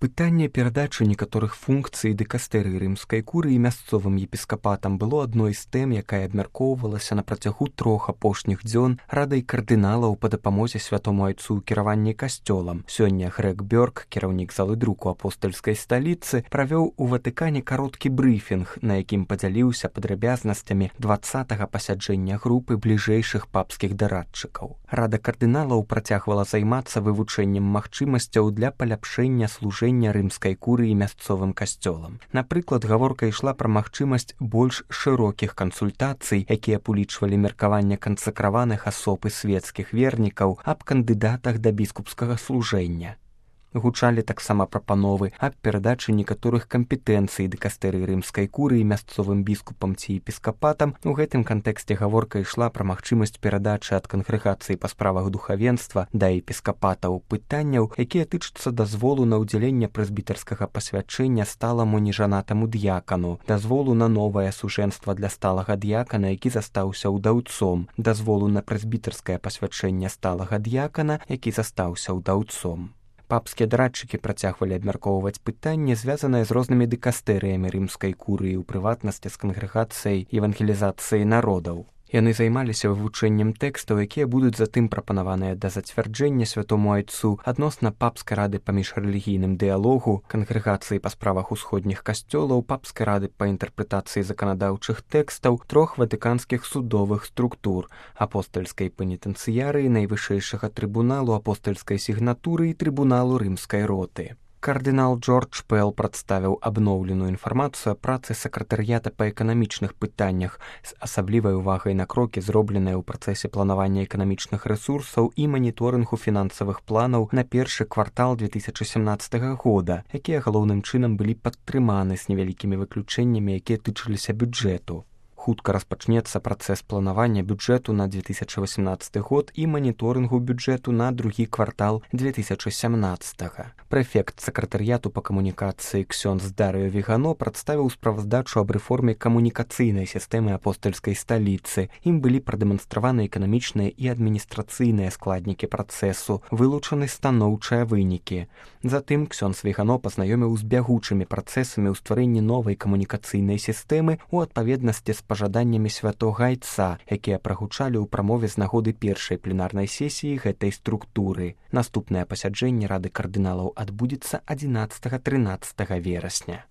Пытанне перадачы некаторых функцый дыкастэрыі рымскай курыі мясцовым епіскапатам было адной з тэм, якая абмяркоўвалася на працягу 3 апошніх дзён радай кардыналаў па дапамозе святому айцу ў кіраванні касцёлам. Сёння Грег Бёрк, кіраўнік залы друку апостальскай сталіцы, правёў у Ватыкане кароткі брыфінг, на якім падзяліўся падрабязнасцямі 20-га пасяджэння групы бліжэйшых папскіх дарадчыкаў. Рада кардыналаў працягвала займацца вывучэннем магчымасцяў для паляпшэння служэння рымскай курыі мясцовым касцёлам. Напрыклад, гаворка ішла пра магчымасць больш шырокіх кансультацый, якія б улічвалі меркаванне кансакраваных асоб і свецкіх вернікаў аб кандыдатах да біскупскага служэння. Гучалі таксама прапановы аб перадачы некаторых кампетэнцый дыкастэрыі рымскай курыі мясцовым біскупам ці епіскапатам. У гэтым кантэксце гаворка ішла пра магчымасць перадачы ад кангрэгацыі па справах духавенства да епіскапатаў пытанняў, якія тычацца дазволу на ўдзяленне прэзбітарскага пасвячэння сталаму нежанатаму д'якану, дазволу на новае сужэнства для сталага д'якана, які застаўся ўдаўцом, дазволу на прэзбітарскае пасвячэнне сталага д'якана, які застаўся ўдаўцом. Папскія дарадчыкі працягвалі абмяркоўваць пытанні, звязаныя з рознымі дыкастэрыямі рымскай курыі, у прыватнасці з кангрэгацыяй евангелізацыі народаў. Яны займаліся вывучэннем тэкстаў, якія будуць затым прапанаваныя да зацвярджэння святому айцу адносна папскай рады па міжрэлігійным дыялогу, кангрэгацыі па справах усходніх касцёлаў, папскай рады па інтэрпрэтацыі заканадаўчых тэкстаў, 3 ватыканскіх судовых структур: апостальскай пенітэнцыярыі, найвышэйшага трыбуналу, апостальскай сігнатуры і трыбуналу рымскай роты. Кардынал Джордж Пэл прадставіў абноўленую інфармацыю о працы сакратарыята па эканамічных пытаннях з асаблівай увагай на крокі, зробленыя ў працэсе планавання эканамічных рэсурсаў і маніторынгу фінансавых планаў на першы квартал 2017 года, якія галоўным чынам былі падтрыманы з невялікімі выключэннямі, якія тычыліся бюджэту. Хутка распачнецца працэс планавання бюджэту на 2018 год і маніторынгу бюджэту на другі квартал 2017. Прэфект сакратарыяту па камунікацыі ксёндз Дарыё Вігано прадставіў справаздачу аб рэформе камунікацыйнай сістэмы апостальскай сталіцы. Ім былі прадэманстраваны эканамічныя і адміністрацыйныя складнікі працэсу, вылучаны станоўчыя вынікі. Затым ксёндз Вігано пазнаёміў з бягучымі працэсамі ў стварэнні новай камунікацыйнай сістэмы у адпаведнасці з пажаданнямі святога айца, якія прагучалі ў прамове з нагоды першай пленарнай сесіі гэтай структуры. Наступнае пасяджэнне рады кардыналаў адбудзецца 11-13 верасня.